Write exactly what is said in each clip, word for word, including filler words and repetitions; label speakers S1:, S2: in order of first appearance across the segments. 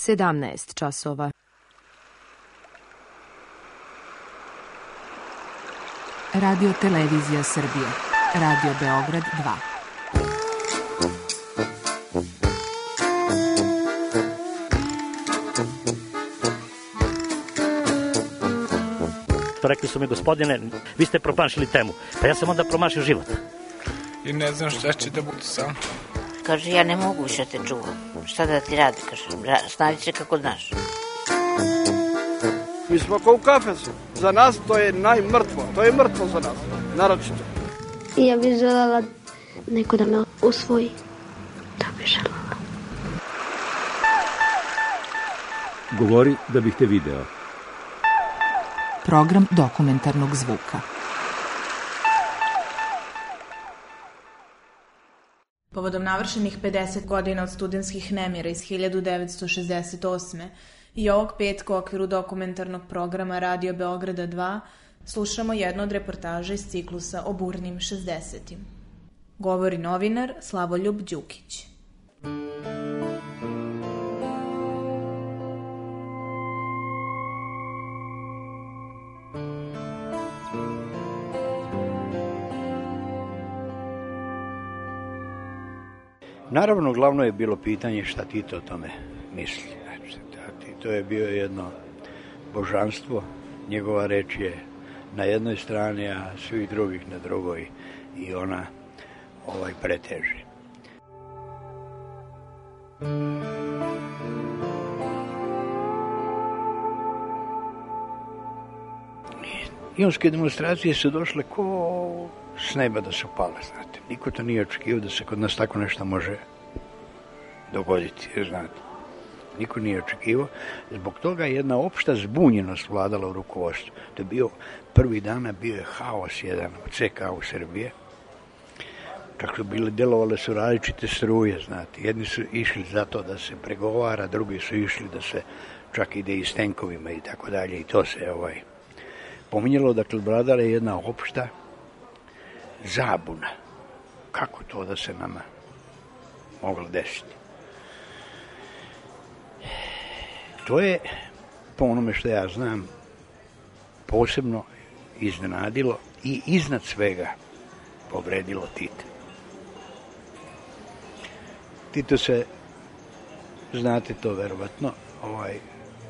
S1: sedamnaest časova.
S2: Radio Televizija Srbije. Radio Beograd dva.
S3: Rekli su mi, gospodine, vi ste promašili temu. Pa ja sam onda promašio život.
S4: I ne znam šta će da bude sam.
S5: Kaže, ja ne mogu više te čuvam. Šta da ti radi? Kaže, snađi se kako znaš.
S6: Mi smo kao u kafesu. Za nas to je najmrtvo. To je mrtvo za nas. Naročito.
S7: Ja bih željela neko da me usvoji. Da bih željela.
S8: Govori da bih te video.
S2: Program dokumentarnog zvuka.
S9: Povodom navršenih pedeset godina od studentskih nemira iz hiljadu devetsto šezdeset osme. i ovog petka u okviru dokumentarnog programa Radio Beograda dva slušamo jednu od reportaža iz ciklusa o burnim šezdesetim. Govori novinar Slavoljub Đukić.
S10: Naravno, glavno je bilo pitanje šta Tito o tome misli. Tito je bio jedno božanstvo, njegova reč je na jednoj strani, a svih drugih na drugoj i ona ovaj preteži. Ionske demonstracije su došle ko s neba da su pale, znate. Niko to nije očekivao da se kod nas tako nešto može dogoditi, znate. Niko nije očekivao. Zbog toga jedna opšta zbunjenost vladala u rukovodstvu. To je bio, prvi dana bio je haos jedan od C K u Srbije. Čak su bile, delovale su različite struje, znate. Jedni su išli za to da se pregovara, drugi su išli da se čak ide i s tenkovima i tako dalje. I to se ovaj pominjalo, dakle, vladala je jedna opšta zabuna. Kako to da se nama moglo desiti? To je, po onome što ja znam, posebno iznenadilo i iznad svega povredilo Tita. Tito se, znate to verovatno, ovaj,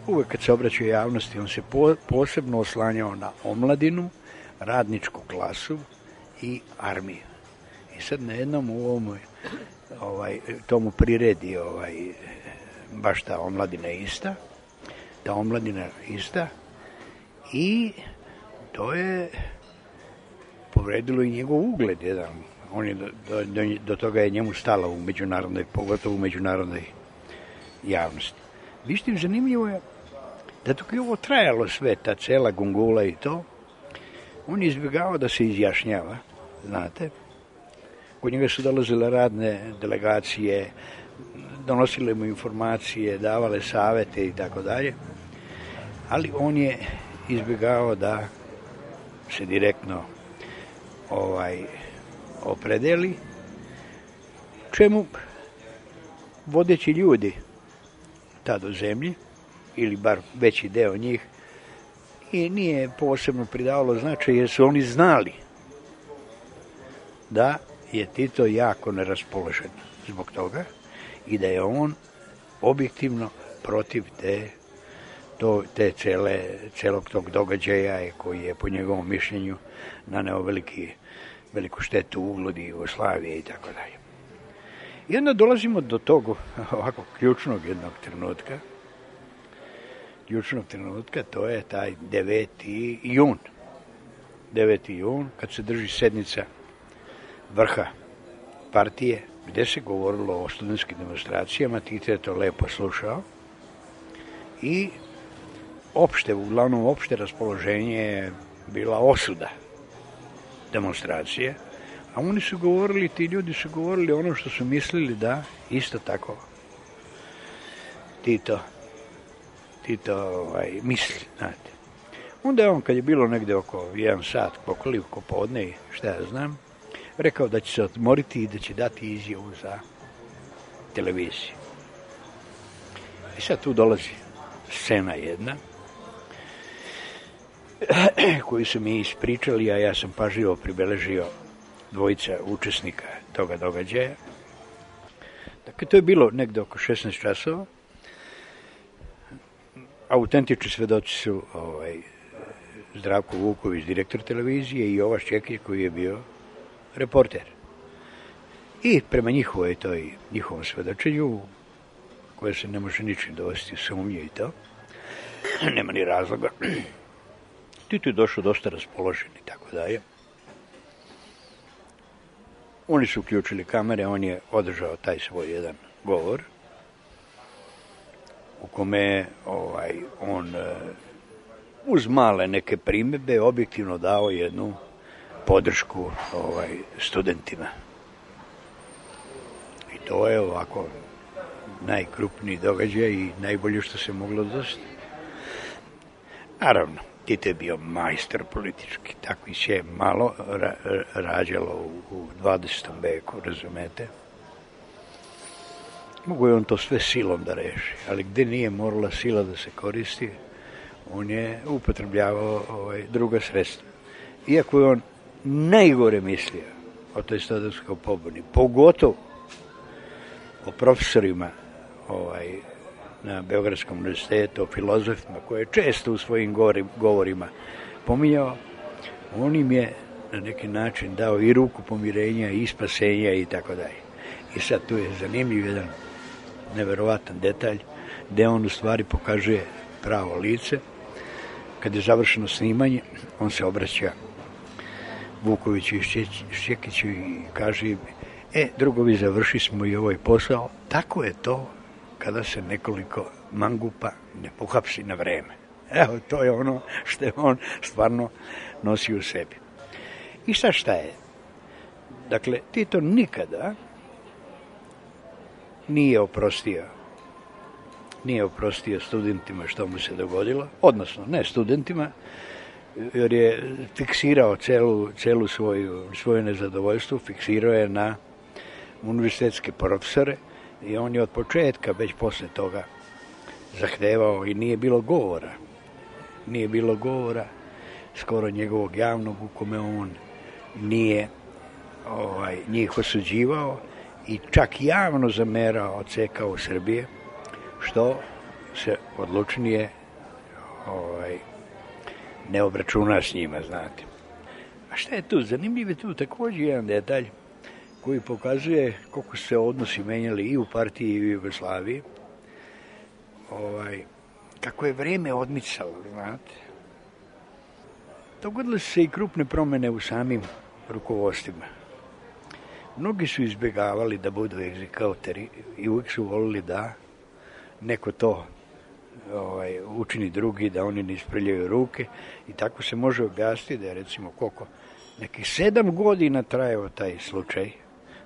S10: uvek kad se obraćao javnosti, on se po, posebno oslanjao na omladinu, radničku klasu i armiju. I sad na jednom u ovom ovaj, tomu priredi ovaj, baš ta omladina ista, ta omladina ista i to je povredilo i njegov ugled jedan. On je do, do, do toga je njemu stalo u međunarodnoj, pogotovo u međunarodnoj javnosti. Vište, zanimljivo je da dok je ovo trajalo sve, ta cela gungula i to, on je izbjegao da se izjašnjava, znate. Kod njega su dolazile radne delegacije, donosile mu informacije, davale savete i tako dalje, ali on je izbjegao da se direktno ovaj, opredeli, čemu vodeći ljudi tad u zemlji, ili bar veći deo njih, i nije posebno pridavalo značaj jer su oni znali da je Tito jako neraspoložen zbog toga i da je on objektivno protiv te, to, te cele, celog tog događaja koji je po njegovom mišljenju naneo veliki, veliku štetu ugledu Jugoslavije i tako dalje. I onda dolazimo do tog ovako ključnog jednog trenutka, ključnog trenutka, to je taj deveti jun. deveti jun, kad se drži sednica vrha partije, gde se govorilo o studentskim demonstracijama, Tito je to lepo slušao i opšte, uglavnom opšte raspoloženje je bila osuda demonstracije, a oni su govorili, ti ljudi su govorili ono što su mislili da isto tako Tito Tito ovaj, misli, znate. Onda je on, kad je bilo negde oko jedan sat, koliko podne i šta ja znam, rekao da će se odmoriti i da će dati izjavu za televiziju. I sad tu dolazi scena jedna koju su mi ispričali, a ja sam pažljivo pribeležio dvojica učesnika toga događaja. Dakle, to je bilo negde oko šesnaest časova. Autentični svedoci su ovaj, Zdravko Vuković, direktor televizije, i Jovaš Čekić, koji je bio reporter. I prema njihovoj toj, njihovom svedočenju, koje se ne može ničim dovesti u sumnju i to, nema ni razloga. Tito je došao dosta raspoložen i tako dalje. Oni su uključili kamere, on je održao taj svoj jedan govor, u kome ovaj, on uz male neke primjedbe objektivno dao jednu podršku ovaj, studentima. I to je ovako najkrupniji događaj i najbolje što se moglo desiti. Naravno, Tito je bio majstor politički, tako i se malo ra rađalo u, u dvadesetom veku, razumete. Mogu je on to sve silom da reši, ali gde nije morala sila da se koristi, on je upotrebljavao ovaj, druga sredstva. Iako je on najgore mislio o toj studenskoj pobuni, pogotovo o profesorima ovaj, na Beogradskom univerzitetu, o filozofima, koje je često u svojim govorima pominjao, on im je na neki način dao i ruku pomirenja i spasenja i tako dalje. I sad tu je zanimljiv jedan neverovatan detalj, gde on u stvari pokazuje pravo lice. Kad je završeno snimanje, on se obraća Vukoviću i Šćekiću i kaže im, e, drugovi, završi smo i ovaj posao. Tako je to kada se nekoliko mangupa ne pohapsi na vreme. Evo, to je ono što je on stvarno nosi u sebi. I sad šta je? Dakle, Tito nikada nije oprostio nije oprostio studentima što mu se dogodilo, odnosno ne studentima, jer je fiksirao celu, celu svoju, svoje nezadovoljstvo, fiksirao je na univerzitetske profesore i on je od početka, već posle toga, zahtevao i nije bilo govora. Nije bilo govora skoro njegovog javnog u kome on nije ovaj, njih osuđivao i čak javno zamerao ceka u Srbije, što se odlučnije ovaj, ne obračuna s njima, znate. A šta je tu? Zanimljiv je tu također jedan detalj koji pokazuje koliko se odnosi menjali i u partiji i u Jugoslaviji. Ovaj, kako je vreme odmicalo, znate. Dogodile su se i krupne promjene u samim rukovodstvima. Mnogi su izbjegavali da budu egzekuteri i uvijek su volili da neko to ovaj, učini drugi, da oni ne isprljaju ruke i tako se može objasniti da je recimo koliko nekih sedam godina trajao taj slučaj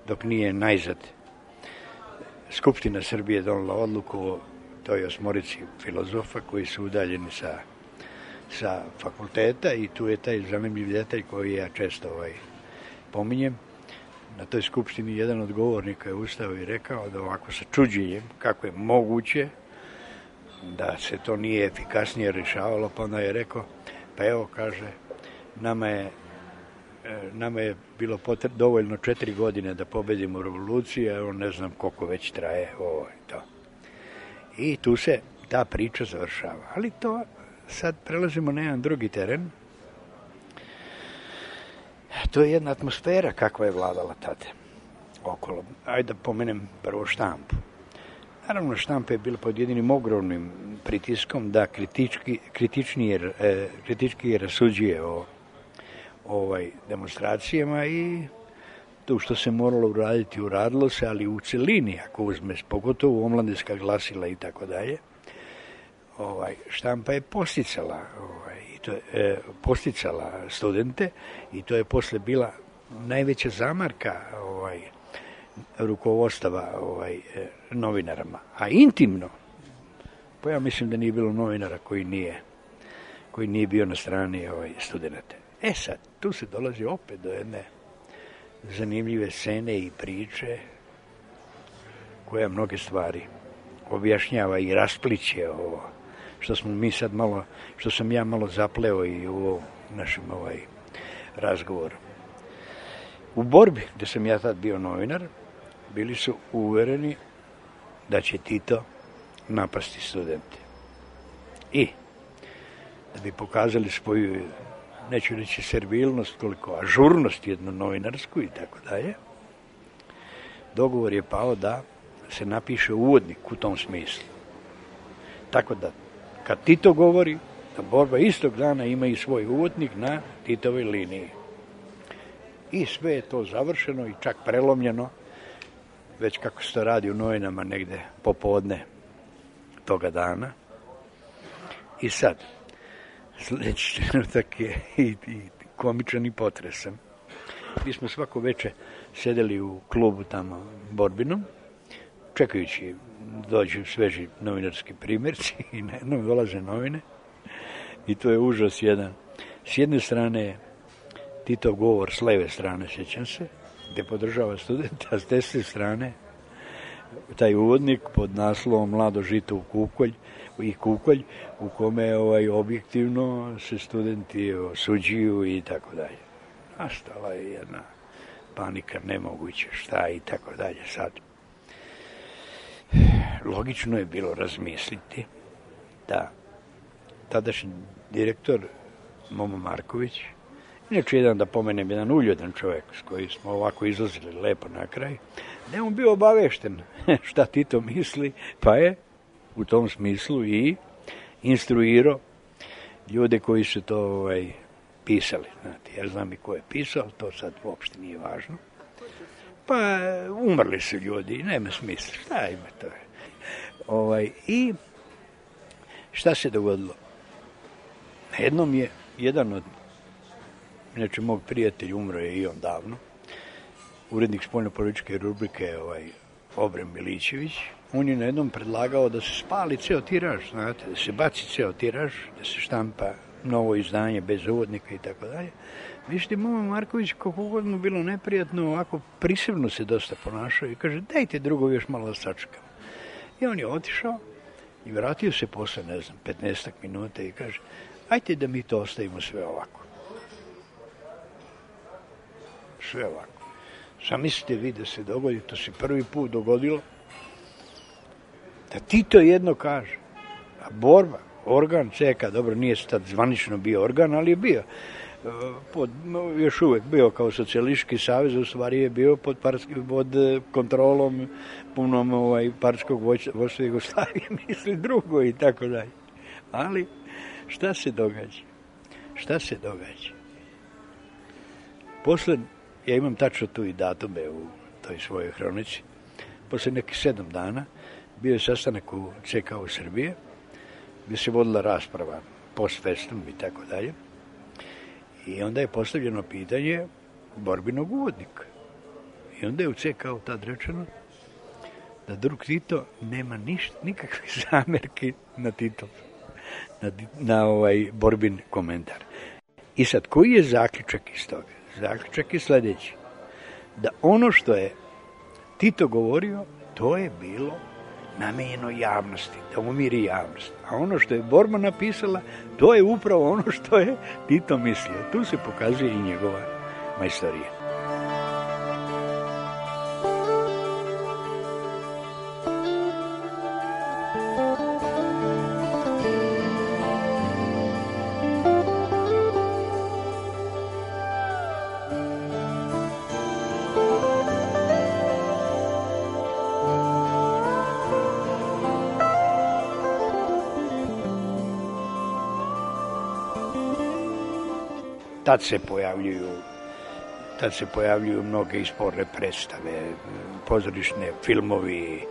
S10: dok nije najzad Skupština Srbije donela odluku o toj osmorici filozofa koji su udaljeni sa, sa fakulteta i tu je taj zanimljiv detalj koji ja često ovaj, pominjem. Na toj skupštini jedan od govornika je ustao i rekao da ovako sa čuđenjem kako je moguće da se to nije efikasnije rješavalo, pa onda je rekao, pa evo, kaže, nama je, nama je bilo potrebno dovoljno četiri godine da pobedimo revoluciju, a evo ne znam koliko već traje ovo i to. I tu se ta priča završava. Ali to sad prelazimo na jedan drugi teren. To je jedna atmosfera kakva je vladala tada okolo. Ajde da pomenem prvo štampu. Naravno, štampa je bila pod jedinim ogromnim pritiskom da kritički, kritičnije, eh, kritički rasuđuje o ovaj, demonstracijama i to što se moralo uraditi, uradilo se, ali u celini, ako uzme, pogotovo omladinska glasila i tako dalje, ovaj, štampa je posticala, ovaj, to je, e, posticala studente i to je posle bila najveća zamarka ovaj, rukovodstava ovaj, e, novinarama. A intimno, pa ja mislim da nije bilo novinara koji nije, koji nije bio na strani ovaj, studenta. E sad, tu se dolazi opet do jedne zanimljive scene i priče koja mnoge stvari objašnjava i raspliće ovo, što smo mi sad malo, što sam ja malo zapleo i u ovom našem ovaj razgovoru. U borbi, gde sam ja tad bio novinar, bili su uvereni da će Tito napasti studente. I da bi pokazali svoju, neću reći servilnost, koliko ažurnost jednu novinarsku i tako dalje, dogovor je pao da se napiše uvodnik u tom smislu. Tako da, kad Tito govori, da borba istog dana ima i svoj uvodnik na Titovoj liniji. I sve je to završeno i čak prelomljeno, već kako se to radi u novinama negde popodne toga dana. I sad, sljedeći trenutak je i, i komičan i potresan. Mi smo svako veče sedeli u klubu tamo Borbinom, čekajući dođu sveži novinarski primjerci i na jednom dolaze novine i to je užas jedan. S jedne strane je Titov govor, s leve strane, sjećam se, gdje podržava studenta, a s desne strane taj uvodnik pod naslovom Mlado žito u kukolj i kukolj, u kome ovaj, objektivno se studenti osuđuju i tako dalje. Nastala je jedna panika nemoguće, šta i tako dalje sad. Logično je bilo razmisliti da tadašnji direktor Momo Marković, inače jedan, da pomenem, jedan uljudan čovjek s kojim smo ovako izlazili lepo na kraj, da je on bio obavešten šta Tito misli, pa je u tom smislu i instruirao ljude koji su to ovaj, pisali. Znate, ja znam i ko je pisao, to sad uopšte nije važno. Pa umrli su ljudi, nema smisla, šta ima to je. Ovaj, I šta se dogodilo? Jednom je jedan od, inače mog prijatelja, umro je i on davno, urednik spoljnopolitičke rubrike ovaj, Obrem Milićević, on je na jednom predlagao da se spali ceo tiraž, znate, da se baci ceo tiraž, da se štampa novo izdanje bez uvodnika i tako dalje. Vište, Momo Marković, kako god mu bilo neprijatno, ovako prisebno se dosta ponašao i kaže, dajte drugo još malo da sačekam. I on je otišao i vratio se posle, ne znam, petnaestak minuta i kaže, ajte da mi to ostavimo sve ovako. Sve ovako. Zamislite vi da se dogodi, to se prvi put dogodilo, da Tito jedno kaže, a borba, organ C K, dobro, nije sad zvanično bio organ, ali je bio. Pod, još uvek bio kao socijalistički savez, u stvari je bio pod, parski, pod kontrolom punom ovaj, partijskog vojstva Jugoslavije, misli drugo i tako dalje. Ali šta se događa? Šta se događa? Posle, ja imam tačno tu i datume u toj svojoj hronici, posle nekih sedam dana bio je sastanak u C K u Srbije, gdje se vodila rasprava post festum i tako dalje. I onda je postavljeno pitanje borbinog uvodnika. I onda je u C K-u tad rečeno da drug Tito nema ništa, nikakve zamerke na Tito, na, na ovaj borbin komentar. I sad, koji je zaključak iz toga? Zaključak je sljedeći. Da ono što je Tito govorio, to je bilo namenjeno javnosti, da umiri javnost. A ono što je borba napisala, to je upravo ono što je Tito mislio. Tu se pokazuje i njegova majstorija. Tad se pojavljuju, tad se pojavljuju mnoge isporne predstave, pozorišne, filmovi,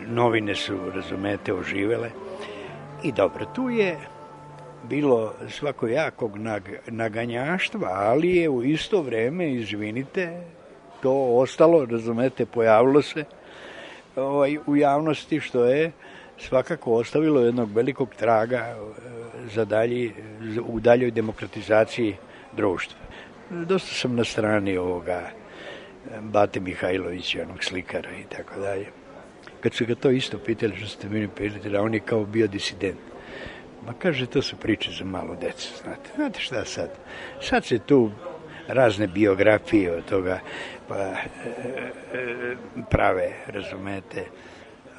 S10: novine su, razumete, oživele. I dobro, tu je bilo svakojakog naganjaštva, ali je u isto vreme, izvinite, to ostalo, razumete, pojavilo se ovaj, u javnosti, što je svakako ostavilo jednog velikog traga za dalji, u daljoj demokratizaciji društva. Dosta sam na strani ovoga Bate Mihajlovića, onog slikara i tako dalje. kad su ga to isto pitali što ste meni pitali, a on je kao bio disident. Ma kaže, to su priče za malu decu, znate. Znate šta sad? Sad se tu razne biografije od toga pa, e, e, prave, razumete,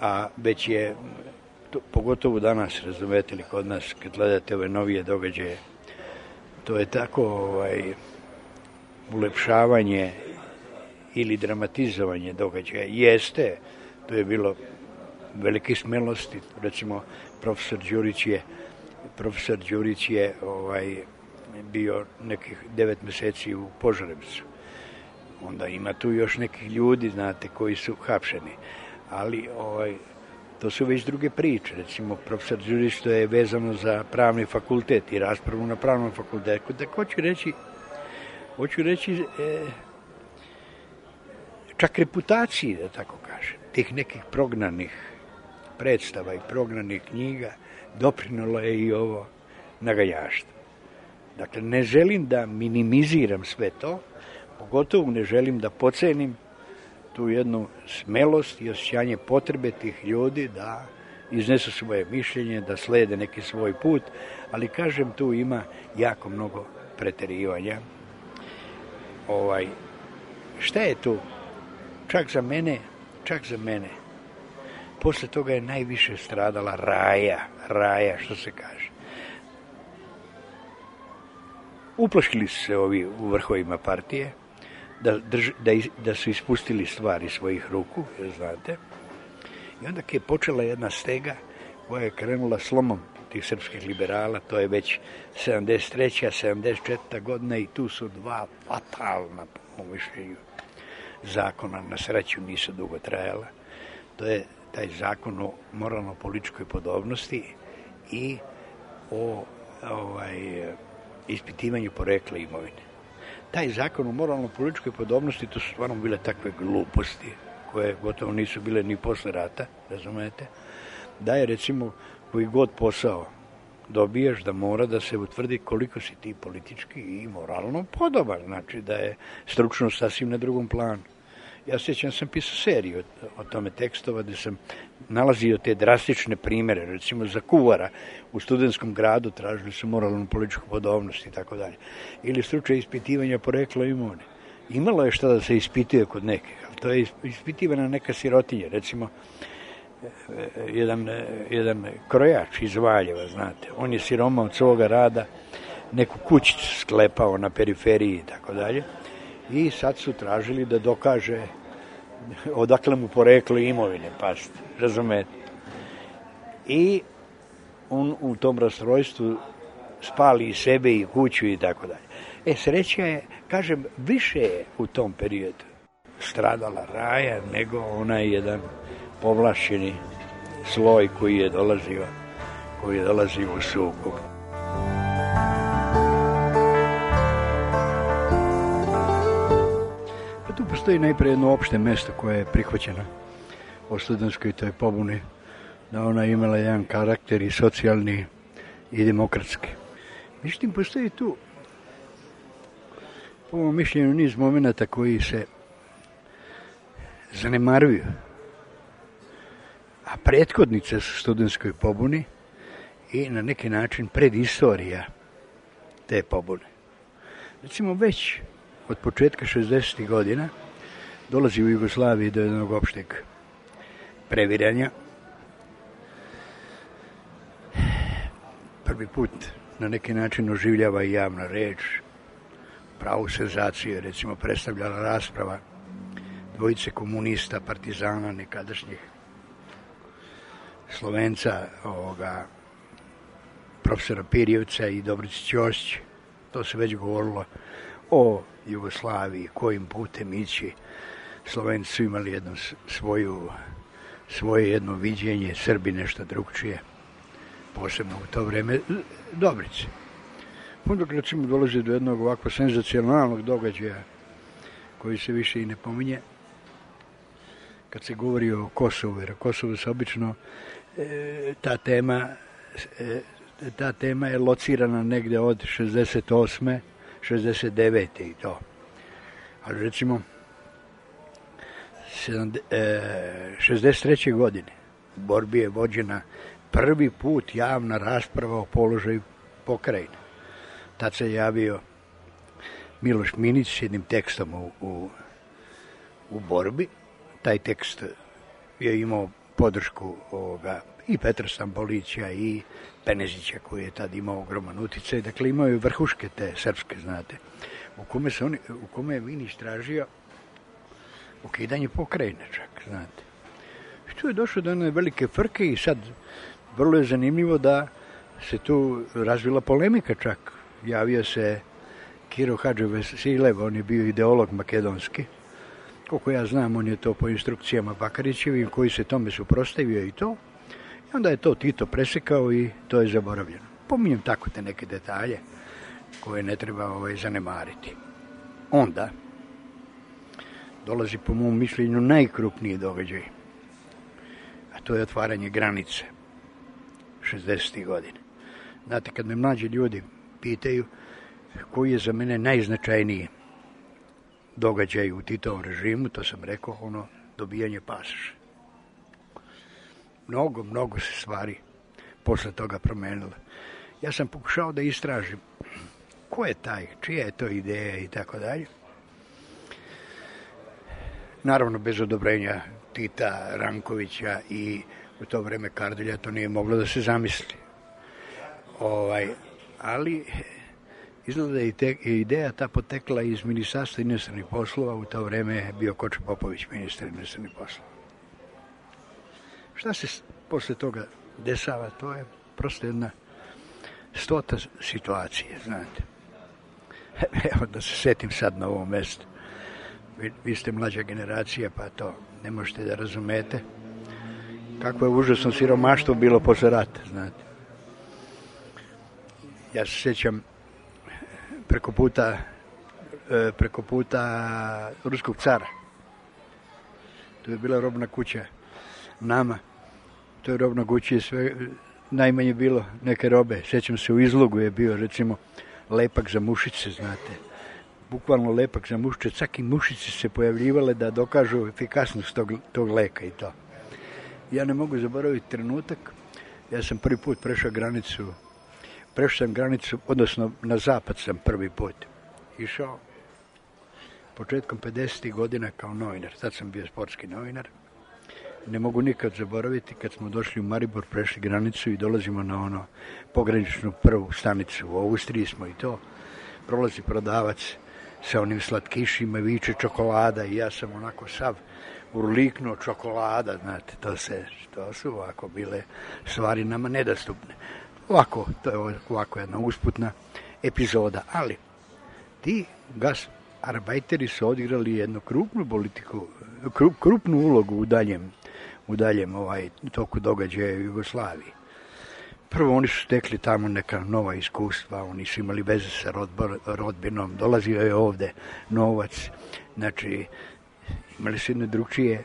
S10: a već je, to, pogotovo danas, razumete li kod nas, kad gledate ove novije događaje, to je tako ovaj, ulepšavanje ili dramatizovanje događaja. Jeste, to je bilo velike smelosti, recimo profesor Đurić je profesor Đurić je ovaj, bio nekih devet meseci u Požarevcu. Onda ima tu još nekih ljudi, znate, koji su hapšeni. Ali ovaj, to su već druge priče. Recimo, profesor Đurić, to je vezano za pravni fakultet i raspravu na pravnom fakultetu. Tako hoću reći, hoću reći e, čak reputaciji, da tako kažem, tih nekih prognanih predstava i prognanih knjiga doprinalo je i ovo naganjaštvo. Dakle, ne želim da minimiziram sve to, pogotovo ne želim da pocenim tu jednu smelost i osjećanje potrebe tih ljudi da iznesu svoje mišljenje, da slede neki svoj put, ali kažem, tu ima jako mnogo preterivanja. Ovaj, šta je tu? Čak za mene, čak za mene, posle toga je najviše stradala Raja, Raja, što se kaže. Uplašili su se ovi u vrhovima partije, da, drž, da, da su ispustili stvari svojih ruku, jer znate. I onda je počela jedna stega koja je krenula slomom tih srpskih liberala, to je već sedamdeset treća sedamdeset četvrta godina i tu su dva fatalna, po mišljenju, zakona, na sreću nisu dugo trajala. To je taj zakon o moralno-političkoj podobnosti i o ovaj, ispitivanju porekla imovine. Taj zakon o moralno-političkoj podobnosti, to su stvarno bile takve gluposti, koje gotovo nisu bile ni posle rata, razumete, da je recimo koji god posao dobiješ, da mora da se utvrdi koliko si ti politički i moralno podoban, znači da je stručnost sasvim na drugom planu. Ja sjećam, sam pisao seriju o tome tekstova gde sam nalazio te drastične primere, recimo za kuvara u studentskom gradu tražili su moralnu političku podobnost i tako dalje. Ili slučaj ispitivanja porekla imovine. Imalo je šta da se ispituje kod nekih, ali to je ispitivana neka sirotinja, recimo jedan, jedan krojač iz Valjeva, znate, on je siroma od svoga rada, neku kućicu sklepao na periferiji i tako dalje. I sad su tražili da dokaže odakle mu poreklo imovine, pazite, razumete. I on u tom rastrojstvu spali i sebe i kuću i tako dalje. E, sreća je, kažem, više je u tom periodu stradala Raja nego onaj jedan povlašćeni sloj koji je dolazio, koji je dolazio u sukob. Tu postoji najprije jedno opšte mesto koje je prihvaćeno o studentskoj toj pobuni, da ona imala jedan karakter i socijalni i demokratski. Međutim, postoji tu, po mom mišljenju, niz momenta koji se zanemaruju, a prethodnice su studentskoj pobuni i na neki način predistorija te pobune. Recimo, već od početka šezdesetih godina dolazi u Jugoslaviji do jednog opšteg previranja. Prvi put na neki način oživljava i javna reč, pravu senzaciju, recimo predstavljala rasprava dvojice komunista, partizana, nekadašnjih Slovenca, ovoga, profesora Pirjevca i Dobrice Ćosić. To se već govorilo o Jugoslaviji, kojim putem ići. Slovenci su imali jednu svoju, svoje jedno viđenje, Srbi nešto drugčije, posebno u to vreme Dobrice. Onda recimo dolazi do jednog ovako senzacionalnog događaja koji se više i ne pominje, kad se govori o Kosovu, jer Kosovo se obično e, ta tema e, ta tema je locirana negde od šezdeset osme šezdeset devete i to. Ali recimo šezdeset treće godine u borbi je vođena prvi put javna rasprava o položaju pokrajine. Tad se javio Miloš Minić s jednim tekstom u, u, u borbi. Taj tekst je imao podršku ovoga, i Petra Stambolića i Penezića koji je tad imao ogroman uticaj. Dakle, imao je vrhuške te srpske, znate, u kome, se oni, u kome je Minić tražio ukidanje pokrajine čak, znate. I tu je došlo do one velike frke i sad vrlo je zanimljivo da se tu razvila polemika čak. Javio se Kiro Hadživasilev, on je bio ideolog makedonski. Koliko ja znam, on je to po instrukcijama Bakarićevim koji se tome suprotstavio i to. I onda je to Tito presekao i to je zaboravljeno. Pominjem tako te neke detalje koje ne treba ovaj, zanemariti. Onda dolazi po mom mišljenju najkrupniji događaj, a to je otvaranje granice šezdesetih godina. Znate, kad me mlađi ljudi pitaju koji je za mene najznačajniji događaj u Titovom režimu, to sam rekao, ono, dobijanje pasoša. Mnogo, mnogo se stvari posle toga promenilo. Ja sam pokušao da istražim ko je taj, čija je to ideja i tako dalje. Naravno, bez odobrenja Tita, Rankovića i u to vreme Kardelja to nije moglo da se zamisli. Ovaj, ali izgleda da je te, ideja ta potekla iz Ministarstva inostranih poslova, u to vreme je bio Kočo Popović ministar inostranih poslova. Šta se posle toga dešava, to je prosto jedna stota situacije, znate. Evo da se setim sad na ovom mestu. Vi, vi ste mlađa generacija, pa to ne možete da razumete. Kako je užasno siromaštvo bilo posle rata, znate. Ja se sjećam preko puta, preko puta ruskog cara. To je bila robna kuća nama. To je robna kuća i sve, najmanje bilo neke robe. Sjećam se, u izlogu je bio, recimo, lepak za mušice, znate. Bukvalno lepak za mušice. Čak i mušice se pojavljivale da dokažu efikasnost tog, tog leka i to. Ja ne mogu zaboraviti trenutak. Ja sam prvi put prešao granicu, prešao sam granicu, odnosno na zapad sam prvi put išao. Početkom pedesetih godina kao novinar. Tad sam bio sportski novinar. Ne mogu nikad zaboraviti kad smo došli u Maribor, prešli granicu i dolazimo na ono pograničnu prvu stanicu. U Austriji smo i to. Prolazi prodavac sa onim slatkišima, viče čokolada i ja sam onako sav urliknuo čokolada, znate, to se, to su ovako bile stvari nama nedostupne. Ovako, to je ovako jedna usputna epizoda, ali ti gasarbajteri su odigrali jednu krupnu politiku, krup, krupnu ulogu u daljem, u daljem ovaj, toku događaja u Jugoslaviji. Prvo, oni su stekli tamo neka nova iskustva, oni su imali veze sa rodbinom, dolazio je ovde novac, znači imali su jedne drugčije,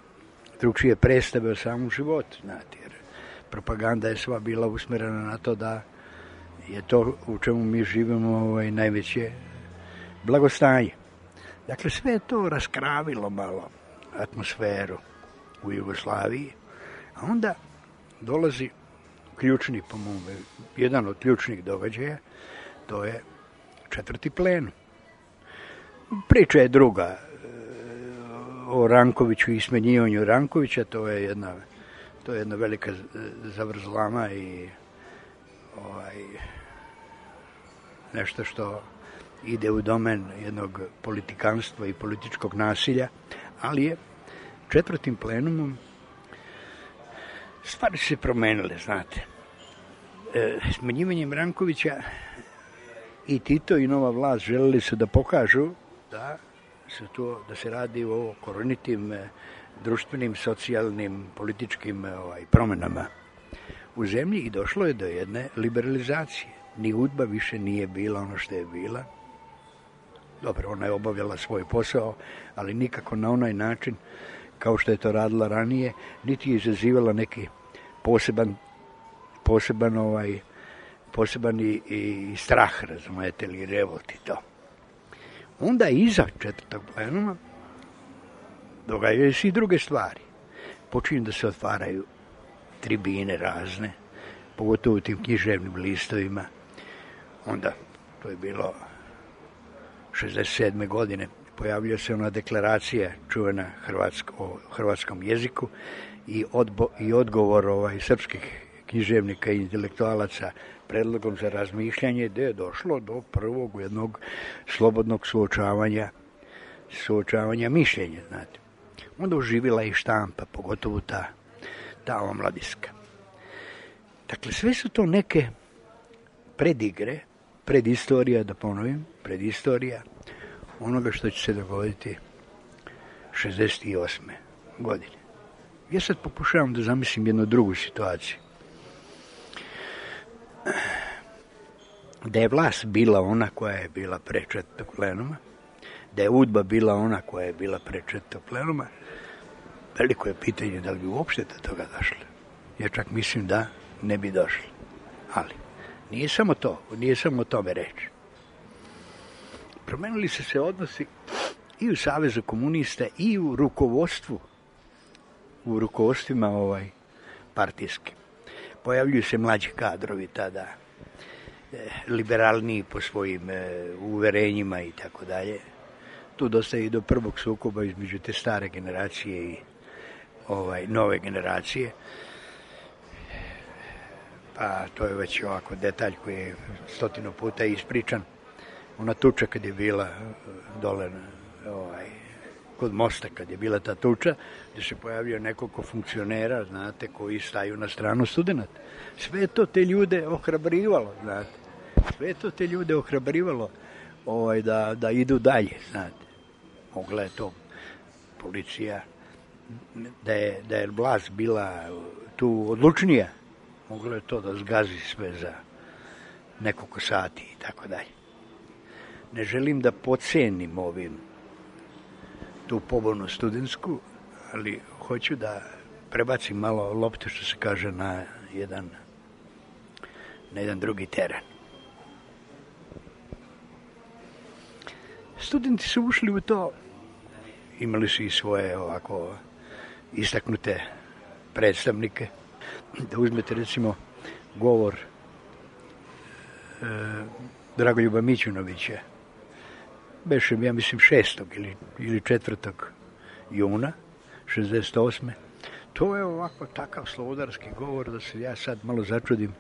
S10: drugčije predstave o samom životu, znate, jer propaganda je sva bila usmerena na to da je to u čemu mi živimo ovaj, najveće blagostanje. Dakle, sve je to raskravilo malo atmosferu u Jugoslaviji, a onda dolazi ključni, po mome, jedan od ključnih događaja, to je četvrti plenum. Priča je druga o Rankoviću i smenjivanju Rankovića, to je jedna, to je jedna velika zavrzlama i ovaj, nešto što ide u domen jednog politikanstva i političkog nasilja, ali je četvrtim plenumom stvari se promenile, znate. E, smenjivanjem Rankovića i Tito i nova vlast želeli su da pokažu da se, to, da se radi o korenitim društvenim, socijalnim, političkim ovaj, promenama u zemlji i došlo je do jedne liberalizacije. Ni udba više nije bila ono što je bila. Dobro, ona je obavljala svoj posao, ali nikako na onaj način kao što je to radila ranije, niti je izazivala neki poseban, poseban, ovaj, poseban i, i strah, razumete, ili revolt i to. Onda iza četvrtog plenuma događaju se i druge stvari. Počinju da se otvaraju tribine razne, pogotovo u tim književnim listovima. Onda, to je bilo šezdeset sedme godine, pojavljuje se ona deklaracija čuvena hrvatsko, o hrvatskom jeziku i, odbo, i odgovor ovaj, srpskih književnika i intelektualaca predlogom za razmišljanje, gde je došlo do prvog jednog slobodnog suočavanja, suočavanja mišljenja, znate. Onda oživila i štampa, pogotovo ta, ta omladinska. Dakle, sve su to neke predigre, predistorija, da ponovim, predistorija onoga što će se dogoditi šezdeset osme godine. Ja sad pokušavam da zamislim jednu drugu situaciju. Da je vlast bila ona koja je bila pre četvrtog plenuma, da je udba bila ona koja je bila pre četvrtog plenuma, veliko je pitanje da li bi uopšte do toga došli. Ja čak mislim da ne bi došli. Ali nije samo to, nije samo o tome reč. Promenili su se odnosi i u Savezu komunista i u rukovodstvu, u rukovodstvima ovaj, partijskim. Pojavljuju se mlađi kadrovi tada, e, liberalniji po svojim e, uverenjima i tako dalje. Tu dosta i do prvog sukoba između te stare generacije i ovaj, nove generacije. Pa to je već ovako detalj koji je stotinu puta ispričan. Ona tuča kad je bila dole ovaj, kod mosta, kad je bila ta tuča, gde se pojavio nekoliko funkcionera, znate, koji staju na stranu studenta. Sve je to te ljude ohrabrivalo, znate. Sve je to te ljude ohrabrivalo ovaj, da, da idu dalje, znate. Mogla je to policija, da je, da je vlast bila tu odlučnija, moglo je to da zgazi sve za nekoliko sati i tako dalje. Ne želim da podcenim ovim tu pobunu studentsku, ali hoću da prebacim malo lopte, što se kaže, na jedan, na jedan drugi teren. Studenti su ušli u to, imali su i svoje ovako istaknute predstavnike. Da uzmete recimo govor e, Dragoljuba Mićunovića, beše, ja mislim, šestog ili, ili četvrtog juna šezdeset osme. To je ovako takav slobodarski govor da se ja sad malo začudim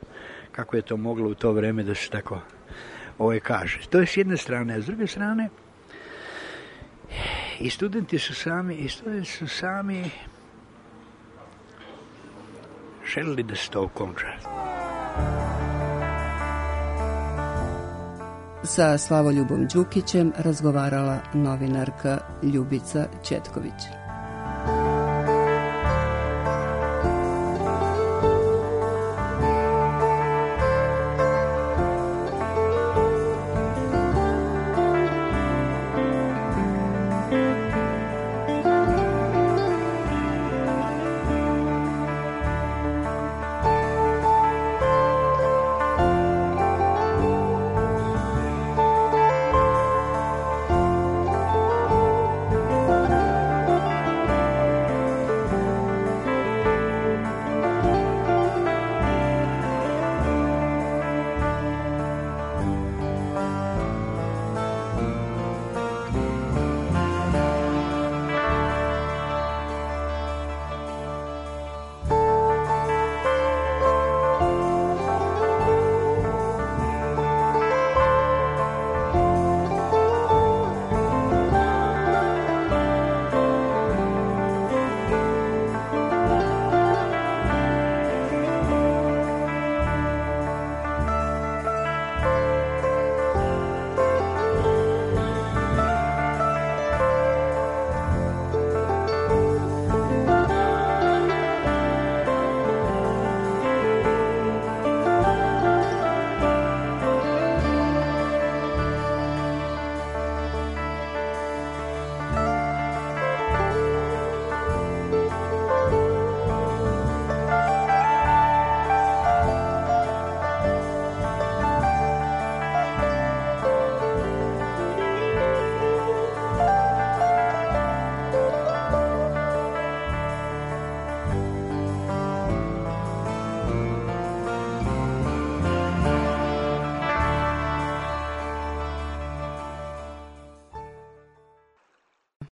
S10: kako je to moglo u to vreme da se tako ovaj kaže. To je s jedne strane, a s druge strane i studenti su sami, i studenti su sami želili da se to okonča.
S1: Sa Slavoljubom Đukićem razgovarala novinarka Ljubica Ćetković.